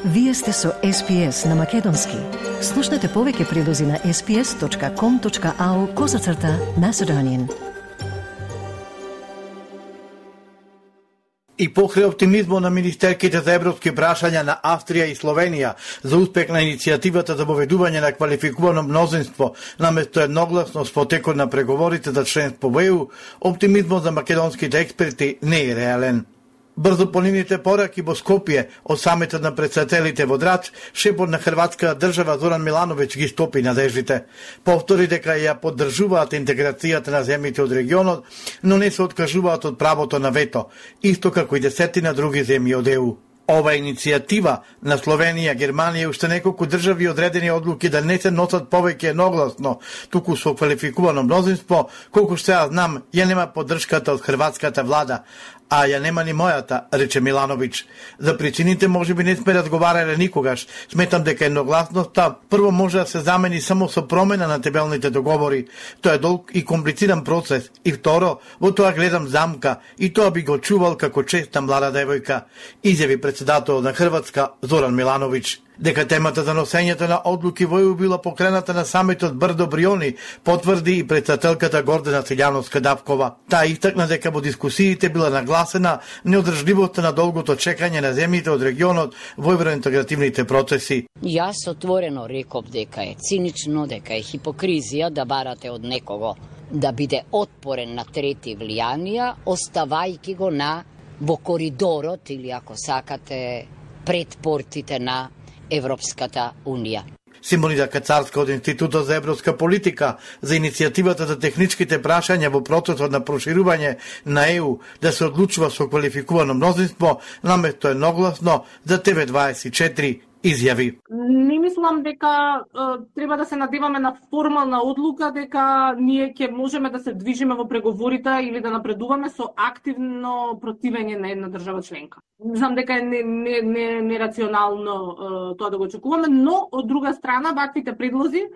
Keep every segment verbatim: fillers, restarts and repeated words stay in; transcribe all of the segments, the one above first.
Вие сте со Ес Пи Ес на Македонски. Слушнете повеќе прилози на ес пи ес точка ком точка ау козацрта Macedonian. И покрај оптимизмот на министерките за европски прашања на Австрија и Словенија за успех на иницијативата за воведување на квалификувано мнозинство наместо едногласно во текот на преговорите за членство во Е У, оптимизмот за македонските експерти не е реален. Брзо по нивните пораки во Скопје од самитот на претседателите во Драч, шефот на хрватска држава Зоран Милановиќ ги стопи надеждите. Повтори дека ја поддржуваат интеграцијата на земјите од регионот, но не се откажуваат од правото на вето, исто како и десетина други земји од Е У. Ова иницијатива на Словенија, Германија и уште неколку држави одредени одлуки да не се носат повеќе едногласно, туку со квалификувано мнозинство, колку што ја знам, ја нема поддршката од хрватската влада, а ја нема ни мојата, рече Милановиќ. За причините можеби не сме разговарале никогаш. Сметам дека едногласноста прво може да се замени само со промена на тебелните договори. Тоа е долг и комплициран процес. И второ, во тоа гледам замка и тоа би го чувал како честа млада девојка, изјави председател на Хрватска Зоран Милановиќ. Дека темата за носењето на одлуки во Е У била покрената на самитот Брдо Бриони, потврди и председателката Гордана Силјановска-Давкова. Таа истакна дека во дискусиите била нагласена неодржливоста на долгото чекање на земјите од регионот во евроинтегративните процеси. Јас отворено реков дека е цинично, дека е хипокризија да барате од некого да биде отпорен на трети влијанија, оставајќи го на во коридорот или ако сакате пред портите на Европската Унија. Симонида Кацарска од Институтот за европска политика за иницијативата за техничките прашања во процесот на проширување на Е У да се одлучува со квалификувано мнозинство наместо едногласно за Те Ве дваесет и четири изјави. Не мислам дека е, треба да се надеваме на формална одлука дека ние ќе можеме да се движиме во преговорите или да напредуваме со активно противење на една држава членка. Знам дека е нерационално не, не, не тоа да го очекуваме, но од друга страна ваквите предлози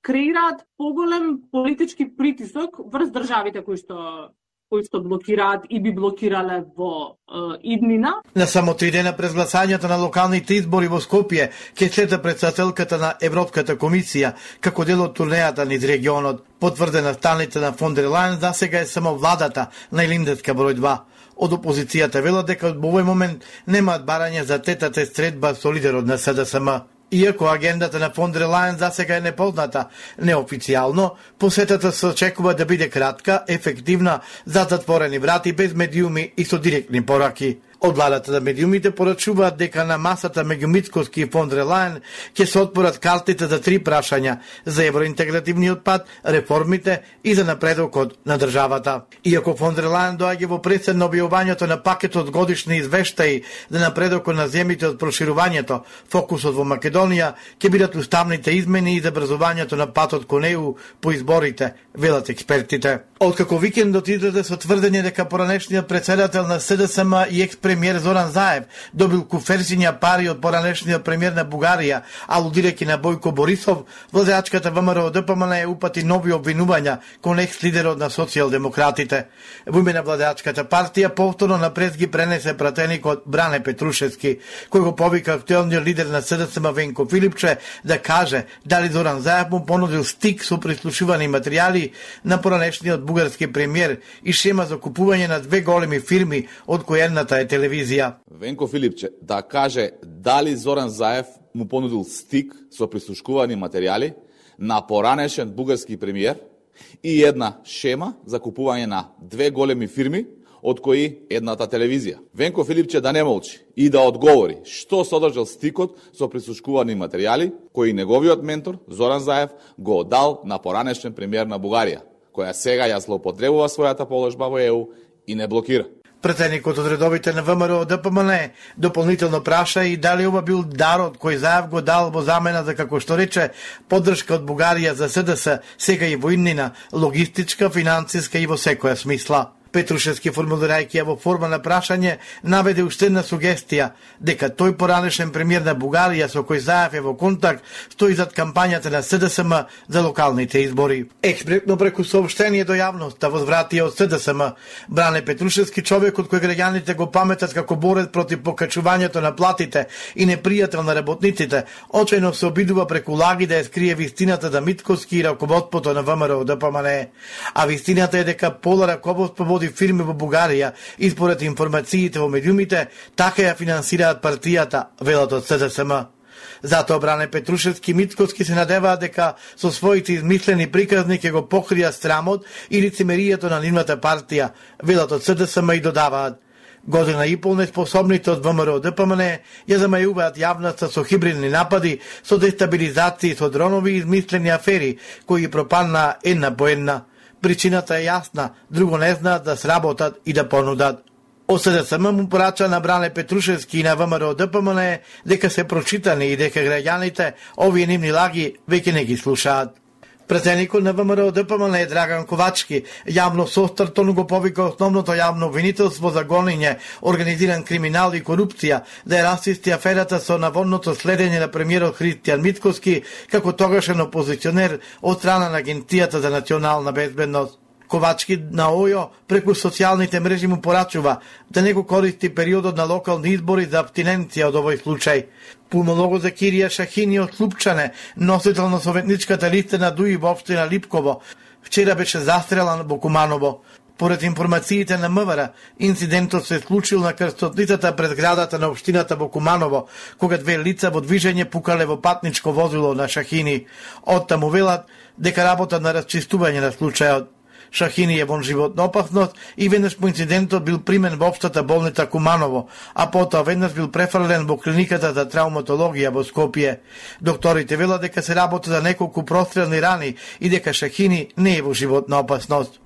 креираат поголем политички притисок врз државите кои што кои што блокираат и би блокирале во е, иднина. На само три дена през гласањето на локалните избори во Скопје ќе следи председателката на Европската комисија како дел од турнејата низ регионот. Потврдена станица на фон дер Лајен за сега е само владата на Илинденска број два. Од опозицијата велат дека во овој момент немаат барање за тетата средба со лидерот на С Д С М. Иако агендата на фон дер Лајен за сега е непозната неофицијално, посетата се очекува да биде кратка, ефективна, за затворени врати, без медиуми и со директни пораки. Од владата на медиумите порачуваат дека на масата меѓу Мицкоски и фон дер Лајен ќе се отпорат картите за три прашања: за евроинтегративниот пат, реформите и за напредокот на државата. Иако фон дер Лајен доаѓа во пресед на објавувањето на пакетот годишни извештаи за напредокот на земјите од проширувањето, фокусот во Македонија ќе бидат уставните измени и забрзувањето на патот кон Е У по изборите, велат експертите. Откако викендот излезе со тврдење дека поранешниот председател на С Д С М и екс-премиер Зоран Заев добил куферсиња пари од поранешниот премиер на Бугарија, алудирајќи на Бојко Борисов, владеачката Вэ М Р Д П М Н е упати нови обвинувања кон екс-лидерот на социјалдемократите. Во име на владеачката партија повторно напред ги пренесе пратеникот Бране Петрушевски, кој го повика актуелниот лидер на С Д С М Венко Филипче да каже дали Зоран Заев му понудил стик со прислушувани материјали на поранешниот бугарски премиер и шема за купување на две големи фирми, од кои едната е телевизија. Венко Филипче да каже дали Зоран Заев му понудил стик со прислушкувани материјали на поранешен бугарски премиер и една шема за купување на две големи фирми, од кои едната телевизија. Венко Филипче да не молчи и да одговори што содржал стикот со прислушкувани материјали кои неговиот ментор Зоран Заев го оддал на поранешен премиер на Бугарија, која сега ја злоупотребува својата положба во Е У и не блокира. Пратеникот од редовите на Вэ М Р Д П М Н дополнително праша и дали ова бил дарот кој Заев го дал во замена за, како што рече, поддршка од Бугарија за С Д С, сега и во иднина, логистичка, финансиска и во секоја смисла. Петрушевски, формулирајќи ја во форма на прашање, наведе уште една сугестија, дека тој поранешен премиер на Бугарија со кој Заев е во контакт, стои зад кампањата на С Д С М за локалните избори. Експресно преку сообштение до јавноста возвратија од С Д С М, Бране Петрушевски, човекот кој граѓаните го паметат како борец против покачувањето на платите и непријател на работниците, очајно се обидува преку лаги да ја скрие вистината да Митковски и раководството на ВМРО Д П М Н. А вистината е дека Пола раководство води фирми во Бугарија и според информациите во медиумите, така ја финансираат партијата, велат од С Д С М. Затоа Бране Петрушевски и Митковски се надеваат дека со своите измислени приказни ќе го покријат срамот и лицемеријето на нивната партија, велат од С Д С М, и додаваат: година и пол неспособните од ВМРО Д П М Н ја замајуваат јавноста со хибридни напади, со дестабилизации, со дронови и измислени афери, кои пропаднаа една по една. Причината е јасна, друго не знаат да сработат и да понудат. Од С Д С М му порача на Бране Петрушевски и на ВМРО Д П М Н дека се прочитани и дека граѓаните овие нивни лаги веќе не ги слушаат. Претеникот на ВМРО Д П М Н Драган Ковачки јавно со Стартон го повика основното јавно обвинителство за гонење, организиран криминал и корупција, да ја расисти аферата со наводното следење на премиерот Христијан Митковски како тогашен опозиционер од страна на Агенцијата за национална безбедност. Ковачки на ОЈО преку социјалните мрежи му порачува да не го користи периодот на локални избори за абстиненција од овој случај. Пулмолого Закирија Шахини од Слупчане, носител на советничката листа на ДУИ во општина Липково, вчера беше застрелан во Куманово. Поред информациите на М В Р, инцидентот се случил на крстотницата пред градата на општината во Куманово, кога две лица во движење пукале во патничко возило на Шахини. Оттаму велат дека работат на расчистување на случајот. Шахини е во животна опасност и веднаш по инцидентот бил примен во општата болница Куманово, а потоа веднаш бил префрлен во клиниката за травматологија во Скопје. Докторите велат дека се работи за неколку прострелни рани и дека Шахини не е во животна опасност.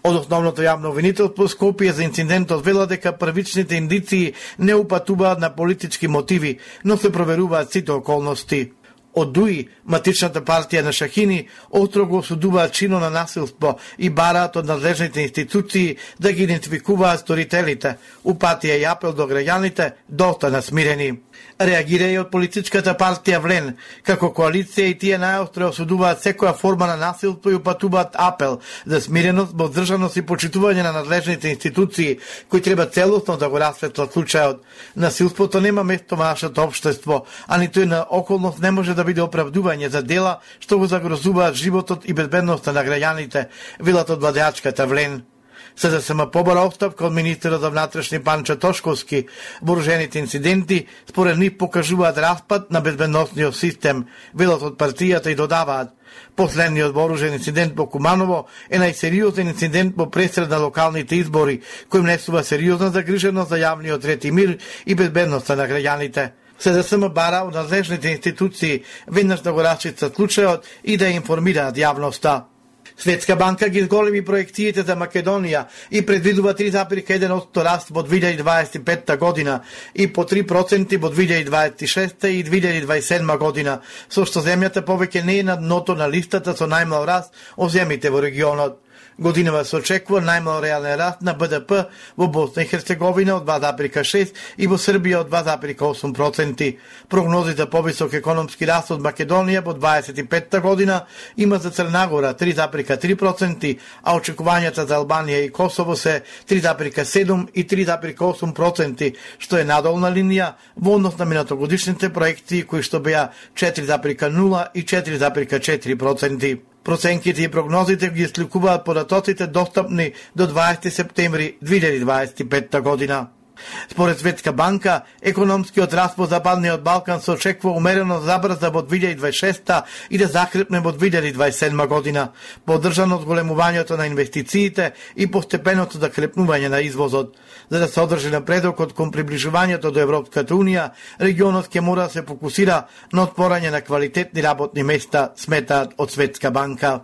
Од основното јавно обвинителство Скопје за инцидентот велат дека првичните индиции не упатуваат на политички мотиви, но се проверуваат сите околности. Од ДУИ, матичната партија на Шахини, остро го осудуваат чино на насилство и бараат од надлежните институции да ги идентификуваат сторителите, упатија и апел до граѓаните да останат смирени. Реагира и од политичката партија Влен, како коалиција и тие најостро осудуваат секоја форма на насилство и упатуваат апел за смиреност, воздржаност и почитување на надлежните институции, кои треба целосно да го расветлат случајот. Насилството нема место во нашето општество, а ниту една околност не може да биде оправдување за дела што го загрозуваат животот и безбедноста на граѓаните, велат од владеачката Влен. Се да се ма побара оставка од министерот за внатрешни Панчо Тошковски, вооружените инциденти според нив покажуваат распад на безбедносниот систем, велат од партијата и додаваат: последниот вооружен инцидент во Куманово е најсериозен инцидент во пресред на локалните избори, кој внесува сериозна загриженост за јавниот ред и мир и безбедноста на граѓаните. Се да се ма бара од надлежните институции веднаш да го расчистат случајот и да информираат јавноста. Светска банка ги зголеми проекциите за Македонија и предвидува три зарез еден одсто раст во две илјади дваесет и петта година и по три проценти во две илјади дваесет и шеста и две илјади дваесет и седма година, со што земјата повеќе не е на дното на листата со најмал раст од земјите во регионот. Годинава се очекува најмал реален раст на Б Д П во Босна и Херцеговина од два зарез шест и во Србија од два зарез осум проценти. Прогнози за повисок економски раст од Македонија во дваесет и петта година има за Црна три зарез три проценти, а очекувањата за Албанија и Косово се три зарез седум и три зарез осум проценти, што е надолна линија во однос на минатогодишните проекции кои што беа четири зарез нула и четири зарез четири проценти. Проценките и прогнозите ги сликуваат податоците достапни до дваесети септември две илјади дваесет и петта година. Според Светска банка, економскиот раст во Западниот Балкан се очекува умерено забрза во две илјади дваесет и шеста и да закрепне во две илјади дваесет и седма година, поддржано од големувањето на инвестициите и постепеното закрепнување на извозот. За да се одржи напредокот кон приближувањето до Европската Унија, регионот ќе мора да се фокусира на отворање на квалитетни работни места, сметаат од Светска банка.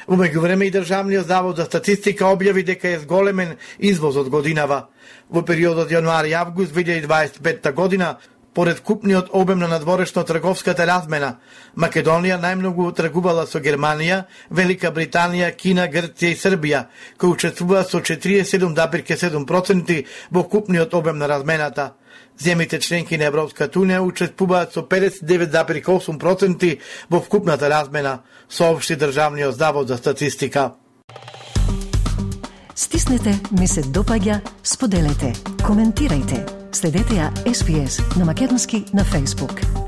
Во меѓувреме и Државниот завод за статистика објави дека е зголемен извозот годинава. Во периодот јануари-август две илјади дваесет и петта година Поред купниот обем на надворешно-трговската размена, Македонија најмногу тргувала со Германија, Велика Британија, Кина, Грција и Србија, кои учествуваат со четириесет и седум запирка седум проценти во купниот обем на размената. Земите членки на Европската Унија учествуваат со педесет и девет запирка осум проценти во вкупната размена, соопшти Државниот завод за статистика. Стиснете, ми се допаѓа, споделете, коментирајте. Следете ја Ес Би Ес на македонски на Facebook.